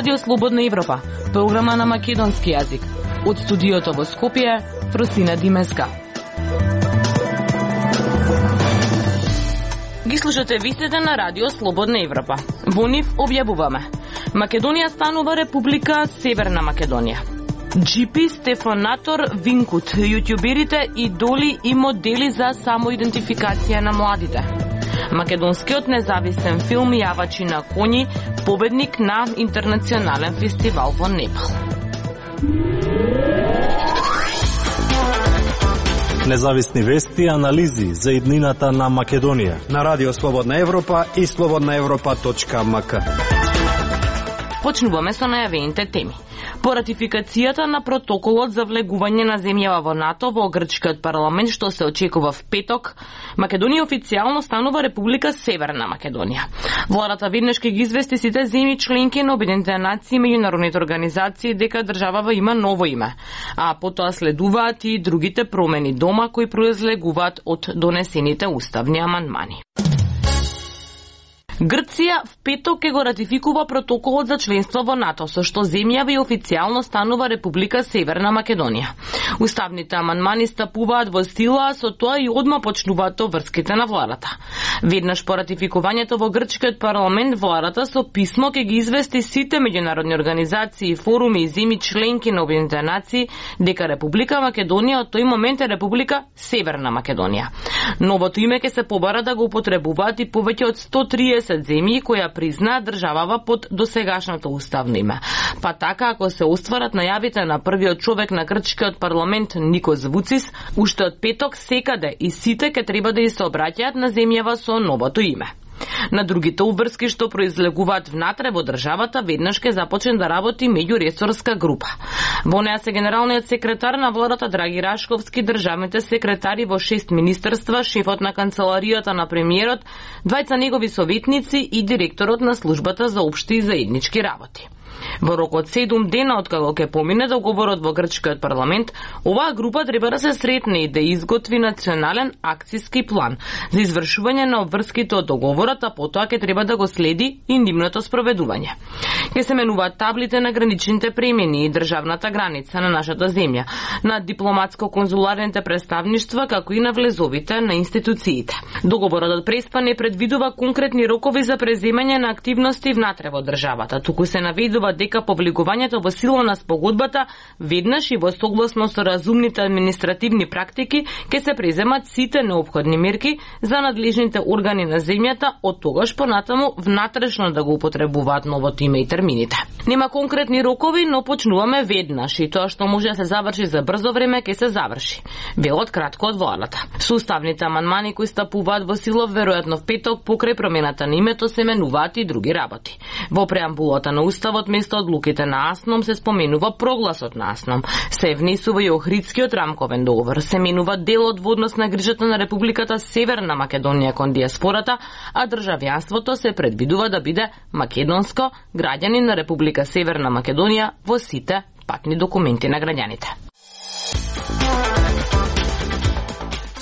Радио Слободна Европа, програма на македонски јазик. Од студиото во Скопје, Фросина Димеска. Ги слушате вистите на Радио Слободна Европа. Во нив објавуваме: Македонија станува Република Северна Македонија. GP, Стефанатор, Винкут, јутјуберите, идоли и модели за самоидентификација на младите. Македонскиот независен филм Јавачи на коњи, победник на интернационален фестивал во Непал. Независни вести и анализи за иднината на Македонија на Радио Слободна Европа и slobodnaevropa.mk. Почнуваме со најавените теми. По ратификацијата на протоколот за влегување на земјава во НАТО во грчкиот парламент, што се очекува в петок, Македонија официјално станува Република Северна Македонија. Владата веднаш ќе ги извести сите земји членки на Обединетите нации и меѓународните организации дека државава има ново име, а потоа следуваат и другите промени дома кои произлегуваат од донесените уставни амандмани. Грција в петок ќе го ратификува протоколот за членство во НАТО, со што земјава и официјално станува Република Северна Македонија. Уставните амандмани стапуваат во сила, а со тоа и одма почнуваат врските на владата. Веднаш по ратификувањето во грчкиот парламент, владата со писмо ќе ги извести сите меѓународни организации, форуми и земји членки на Обединетите нации дека Република Македонија од тој момент е Република Северна Македонија. Новото име ќе се побара да го употребуваат и повеќе од 130 земји која признаат државава под досегашното уставно име. Па така, ако се остварат најавите на првиот човек на грчкиот парламент Никос Вуцис, уште од петок секаде и сите ќе треба да и се обраќаат на земјава со новото име. На другите уврски што произлегуваат внатре во државата, веднаш ќе започне да работи меѓуресорска група. Во неа се генералниот секретар на владата Драги Рашковски, државните секретари во 6 министерства, шефот на канцеларијата на премиерот, двајца негови советници и директорот на службата за општи и заеднички работи. Во рок од 7 дена од кога ќе помине договорот во грчкиот парламент, оваа група треба да се сретне и да изготви национален акциски план за извршување на обврските од договорот, а потоа ќе треба да го следи и нивното спроведување. Ќе се менуваат таблите на граничните премини и државната граница на нашата земја, на дипломатско-конзуларните представништва, како и на влезовите на институциите. Договорот од Преспа не предвидува конкретни рокови за преземање на активности внатре во државата, туку се наведува дека по влегувањето во сила на спогодбата веднаш и во согласно со разумните административни практики ќе се преземат сите неопходни мерки за надлежните органи на земјата од тогаш понатаму внатрешно да го употребуваат новото име и термините. Нема конкретни рокови, но почнуваме веднаш и тоа што може да се заврши за брзо време ќе се заврши. Велот кратко од владата. Со уставните амандмани кои стапуваат во сила веројатно в петок покрај промената на името се менуваат и други работи. Во преамбулата на уставот место одлуките на АСНОМ се споменува прогласот на АСНОМ. Се внесува и Охридскиот рамковен договор. Се менува делот во однос на грижата на Републиката Северна Македонија кон диаспората, а државјанството се предвидува да биде македонско, граѓанин на Република Северна Македонија во сите патни документи на граѓаните.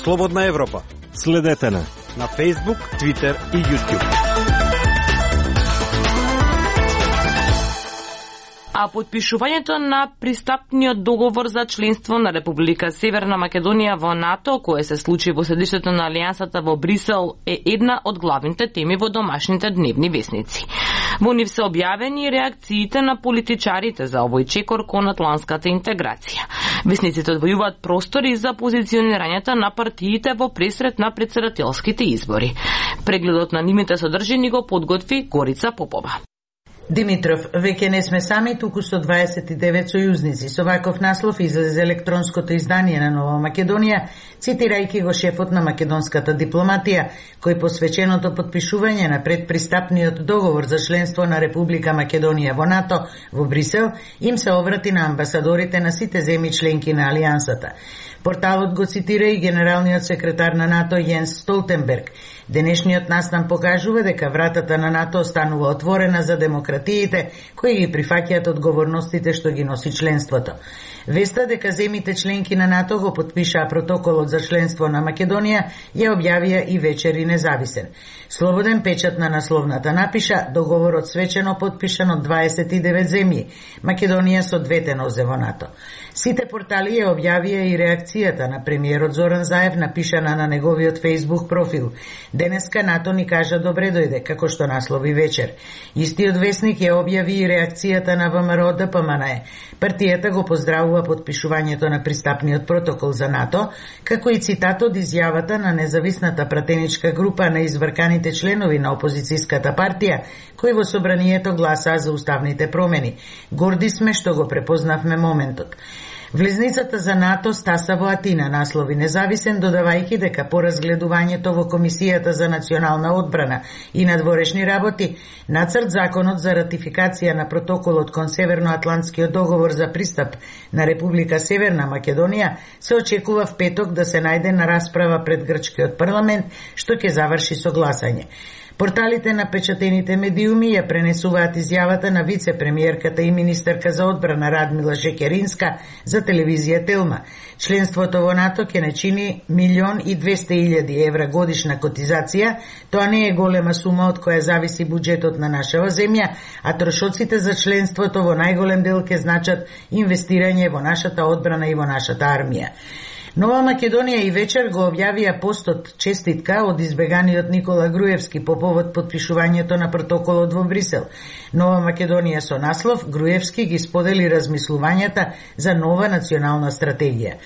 Слободна Европа. Следете на Facebook, Twitter и YouTube. А подпишувањето на пристапниот договор за членство на Република Северна Македонија во НАТО, кое се случи во седиштето на Алијансата во Брисел, е една од главните теми во домашните дневни весници. Во нив се објавени реакциите на политичарите за овој чекор кон атлантската интеграција. Весниците одвојуваат простори за позиционирањето на партиите во пресред на претседателските избори. Прегледот на нивните содржини го подготви Горица Попова. Димитров, веќе не сме сами, туку 129 сојузници. Со ваков наслов излезе електронското издание на Нова Македонија, цитирајќи го шефот на македонската дипломатија, кој посвеченото подпишување на предпристапниот договор за членство на Република Македонија во НАТО во Брисел, им се обрати на амбасадорите на сите земји членки на Алијансата. Порталот го цитира и генералниот секретар на НАТО Јенс Столтенберг. Денешниот настан покажува дека вратата на НАТО останува отворена за демократија демократиите кои ги прифаќаат одговорностите што ги носи членството. Веста дека земите членки на НАТО го потпишаа протоколот за членство на Македонија ја објавија и вечер и Независен. Слободен печат на насловната напиша договорот свечено потпишан од 29 земји, Македонија со двете нозе во НАТО. Сите портали ја објавија и реакцијата на премиерот Зоран Заев напишана на неговиот Facebook профил. Денеска НАТО ни кажа добре дојде, како што наслови вечер. Истиот весник ја објави и реакцијата на ВМРО ДПМНЕ. Партијата го поздравува подпишувањето на пристапниот протокол за НАТО, како и цитат од изјавата на независната пратеничка група на изврканите членови на опозицијската партија, кои во собранието гласаа за уставните промени. Горди сме што го препознавме моментот. Влезницата за НАТО стаса во Атина, наслови Независен, додавајќи дека по разгледувањето во Комисијата за национална одбрана и надворешни работи, нацрт законот за ратификација на протоколот кон Северноатлантскиот договор за пристап на Република Северна Македонија се очекува в петок да се најде на расправа пред грчкиот парламент, што ќе заврши со гласање. Порталите на печатените медиуми ја пренесуваат изјавата на вице-премиерката и министерка за одбрана Радмила Шекеринска за телевизија Телма. Членството во НАТО ќе не чини 1.200.000 евра годишна котизација. Тоа не е голема сума од која зависи буџетот на нашава земја, а трошоците за членството во најголем дел ќе значат инвестирање во нашата одбрана и во нашата армија. Нова Македонија и вечер го објавија постот честитка од избеганиот Никола Груевски по повод подпишувањето на протоколот во Брисел. Нова Македонија со наслов Груевски ги сподели размислувањата за нова национална стратегија.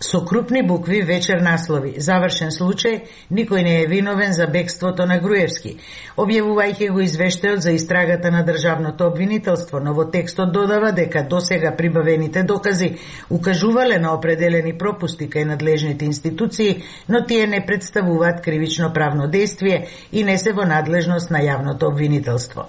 Со крупни букви вечер наслови завршен случај, никој не е виновен за бегството на Груевски. Објавувајќи го извештајот за истрагата на државното обвинителство, но во текстот додава дека досега прибавените докази укажувале на определени пропусти кај надлежните институции, но тие не представуваат кривично правно действие и не се во надлежност на јавното обвинителство.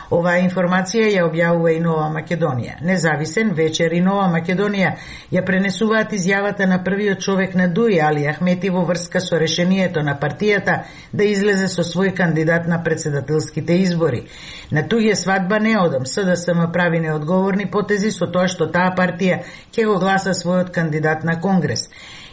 Оваа информација ја објавува и Нова Македонија. Независен, вечер и Нова Македонија ја пренесуваат изјавата на првиот човек на ДУИ, Али Ахмети, во врска со решението на партијата да излезе со свој кандидат на председателските избори. На туѓе свадба не одам, СДСМ прави неодговорни потези со тоа што таа партија ќе го гласа својот кандидат на Конгрес.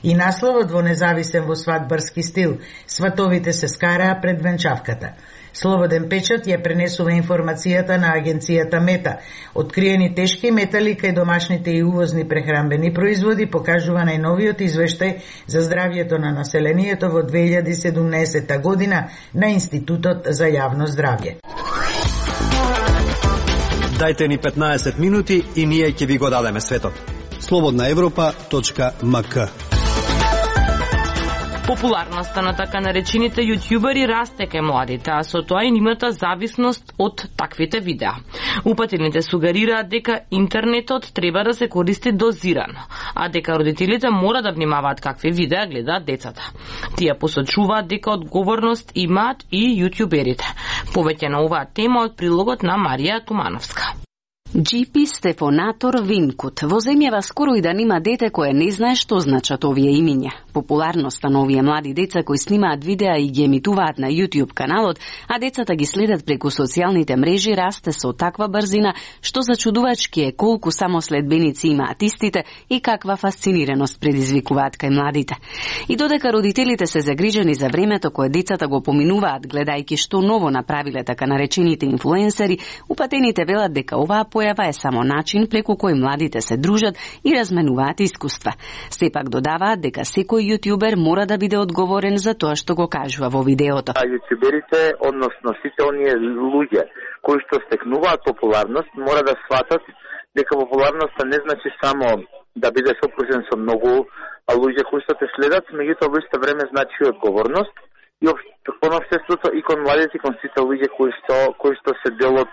И насловот во Независен во свадбарски стил, сватовите се скараа пред венчавката. Слободен печат ја пренесува информацијата на агенцијата Мета. Откриени тешки метали кај домашните и увозни прехранбени производи покажува најновиот извештај за здравјето на населението во 2017 година на Институтот за јавно здравје. Дајте ни 15 минути и ние ќе ви го дадеме светот. slobodnaevropa.mk. Популарноста на така наречените јутјубери расте кај младите, а со тоа и нивната зависност од таквите видеа. Упатените сугерираат дека интернетот треба да се користи дозирано, а дека родителите мора да внимаваат какви видеа гледаат децата. Тие посочуваат дека одговорност имаат и јутјуберите. Повеќе на оваа тема од прилогот на Марија Тумановска. GP Стефонатор Винкут. Во земјава скоро и да нема дете кое не знае што значат овие имиња. Популарноста на овие млади деца кои снимаат видеа и ги емитуваат на YouTube каналот, а децата ги следат преку социјалните мрежи, расте со таква брзина што зачудувачки е колку само следбеници имаат истите и каква фасцинираност предизвикуваат кај младите. И додека родителите се загрижени за времето кое децата го поминуваат гледајќи што ново направиле така наречените инфлуенсери, упатените велат дека оваа појава е само начин преку кој младите се дружат и разменуваат искуства. Сепак додаваат дека секој јутјубер мора да биде одговорен за тоа што го кажува во видеото. Јутјуберите, односно сите оние луѓе кои што стекнуваат популарност, мора да сватат дека популарноста не значи само да биде сопружен со многу луѓе кои што те следат, меѓутоа во исто време значи и одговорност и кон општеството и кон младите и кон сите луѓе кои што се дел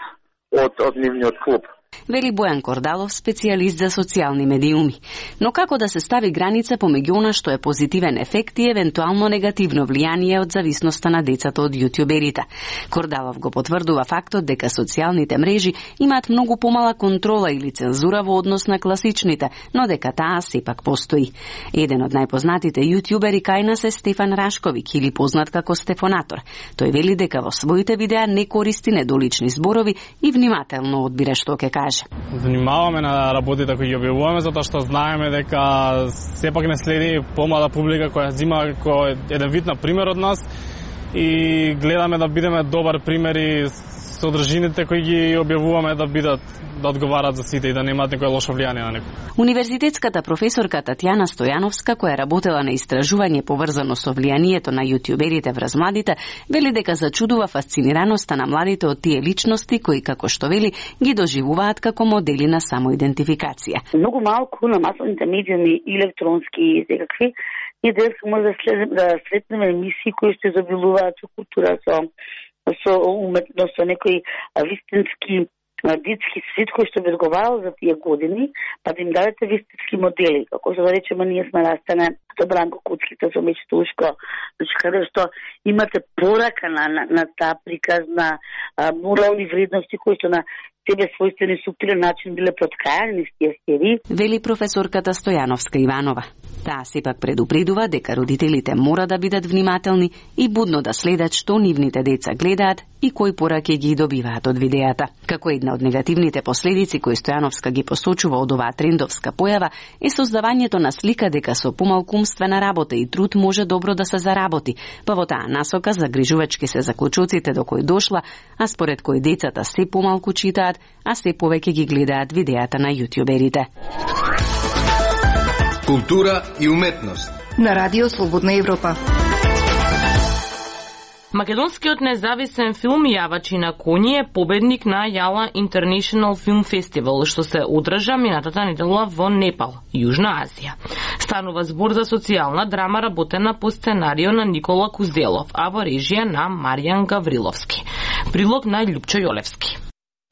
од нивниот клуб. Вели Бојан Кордалов, специјалист за социјални медиуми. Но како да се стави граница помеѓу она што е позитивен ефект и евентуално негативно влијание од зависноста на децата од јутјуберите? Кордалов го потврдува фактот дека социјалните мрежи имаат многу помала контрола или цензура во однос на класичните, но дека таа сепак постои. Еден од најпознатите јутјубери кај нас е Стефан Рашковик, или познат како Стефонатор. Тој вели дека во своите видеа не користи недолични зборови и внимателно одбира што ќе каже. Внимаваме на работите кои ги објавуваме, затоа што знаеме дека сепак не следи помала публика која зима кој еден вид на пример од нас и гледаме да бидеме добар пример и содржините кои ги објавуваме да одговарат за сите и да немаат некој лошо влијание на некој. Универзитетската професорка Татјана Стојановска, која работела на истражување поврзано со влијанието на јутјуберите врз младите, вели дека зачудува фасцинираноста на младите од тие личности кои, како што вели, ги доживуваат како модели на самоидентификација. Многу малку на масовните медиуми, електронски и секакви, ние денеска може да сретнеме емисии кои што изобилуваат со култура, со уметност, со некои вистински детски свет кој што би одговарал за тие години, па да им дадете вистински модели, како што да речеме ние сме растане со Бранко Куцките, со Мечето Ушко, значи каде што имате порака на таа приказ на морални вредности кои што на себе својствени суптилен начин биле проткајани с тие серии. Вели професорката Стојановска Иванова. Таа сепак предупредува дека родителите мора да бидат внимателни и будно да следат што нивните деца гледаат и кои пораки ги добиваат од видеата. Како една од негативните последици кои Стојановска ги посочува од оваа трендовска појава е создавањето на слика дека со помалку умствена работа и труд може добро да се заработи, па во таа насока загрижувачки се заклучоците до кои дошла, а според кои децата се помалку читаат, а се повеќе ги гледаат видеата на јутјуберите. Култура и уметност на Радио Слободна Европа. Македонскиот независен филм Јавачи на коњи е победник на Јала International Film Festival, што се одржа минатата недела во Непал, Јужна Азија. Станува збор за социјална драма работена по сценарио на Никола Кузделов, а во режија на Маријан Гавриловски. Прилог на Љупчо Јолевски.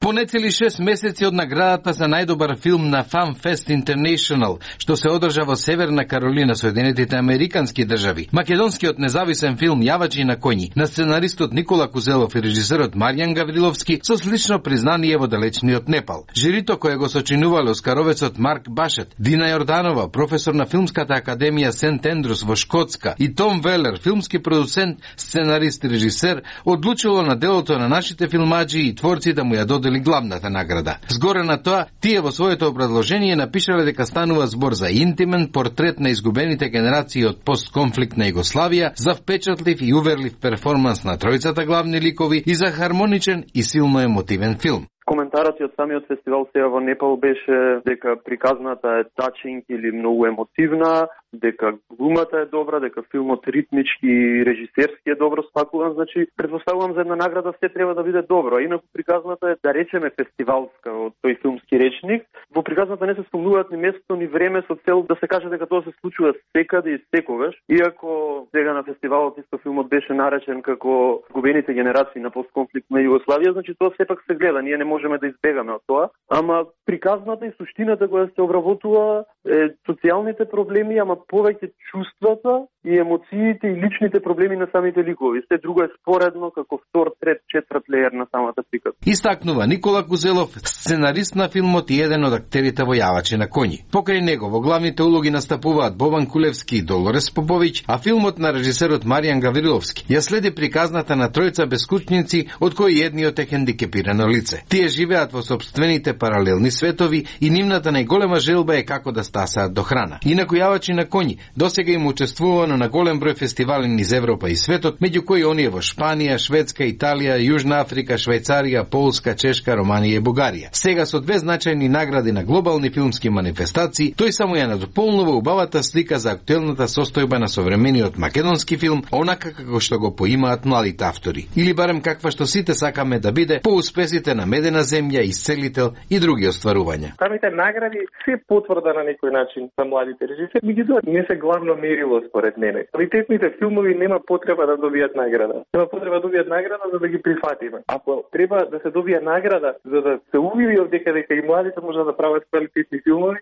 По нецели 6 месеци од наградата за најдобар филм на Fan Fest International, што се одржа во Северна Каролина, Соединетите Американски држави, македонскиот независен филм Јавачи на коњи, на сценаристот Никола Кузелов и режисерот Маријан Гавриловски, со слично признание во далечниот Непал. Жирито кое го сочинувале оскаровецот Марк Башет, Дина Јорданова, професор на Филмската академија Сент Ендрус во Шкотска, и Том Велер, филмски продуцент, сценарист и режисер, одлучило на делото на нашите филмаџи и творци да му ја додели главната награда. Згоре на тоа, тие во своето образложение напишале дека станува збор за интимен портрет на изгубените генерации од постконфликтна Југославија, за впечатлив и уверлив перформанс на тројцата главни ликови и за хармоничен и силно емотивен филм. Коментарот од самиот фестивал сега во Непал беше дека приказната е тачинг или многу емотивна, дека глумата е добра, дека филмот ритмички и режисерски е добро спакуван, значи предпоставувам за една награда се треба да биде добро. Инаку приказната е, да речеме, фестивалска од тој филмски речник. Во приказната не се спомнуваат ни место ни време со цел да се каже дека тоа се случува секаде и секогаш. Иако сега на фестивалот исто филмот беше наречен како изгубените генерации на постконфликтна Југославија, значи тоа сепак се гледа, ние не можеме да избегаме од тоа, ама приказната и суштината која се обработува е социјалните проблеми, ама повеќе чувствата и емоциите и личните проблеми на самите ликови. Се друго е споредно како втор, трет, четврт леер на самата приказ. Истакнува Никола Кузелов, сценарист на филмот и еден од актерите во Јавачи на коњи. Покрај него во главните улоги настапуваат Бобан Кулевски и Долорес Поповиќ, а филмот на режисерот Маријан Гавриловски ја следи приказната на тројца бескучници, од кои едниот е хендикепирано лице. Тие живеат во сопствените паралелни светови и нивната најголема желба е како да стасаат до храна. Инаку Јавачи на коњи досега им учествувано на голем број фестивали низ Европа и светот, меѓу кои оние во Шпанија, Шведска, Италија, Јужна Африка, Швајцарија, Полска, Чешка, Романија и Бугарија. Сега со две значајни награди на глобални филмски манифестации, тој само ја надополнува убавата слика за актуелната состојба на современиот македонски филм, онака како што го поимаат младите автори. Или барем каква што сите сакаме да биде по успесите на Медена земја, Исцелител и други остварувања. Самите награди се потврда на некој начин за младите режисери, меѓутоа не се главно мерило според мене. Квалитетните филмови нема потреба да добијат награда. Нема потреба да добијат награда за да ги прифатиме. Ако треба да се добие награда за да се увиди дека и младите можат да прават квалитетни филмови,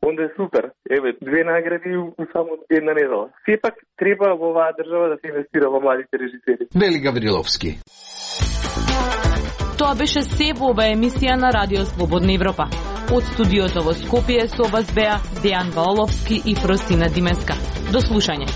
онда е супер. Еве, 2 награди у само една недела. Сепак треба во оваа држава да се инвестира во младите режисери. Вели Гавриловски. Тоа беше се во оваа емисија на Радио Слободна Европа. Од студиото во Скопје со вас беа Дејан Валовски и Фросина Димеска. До слушање.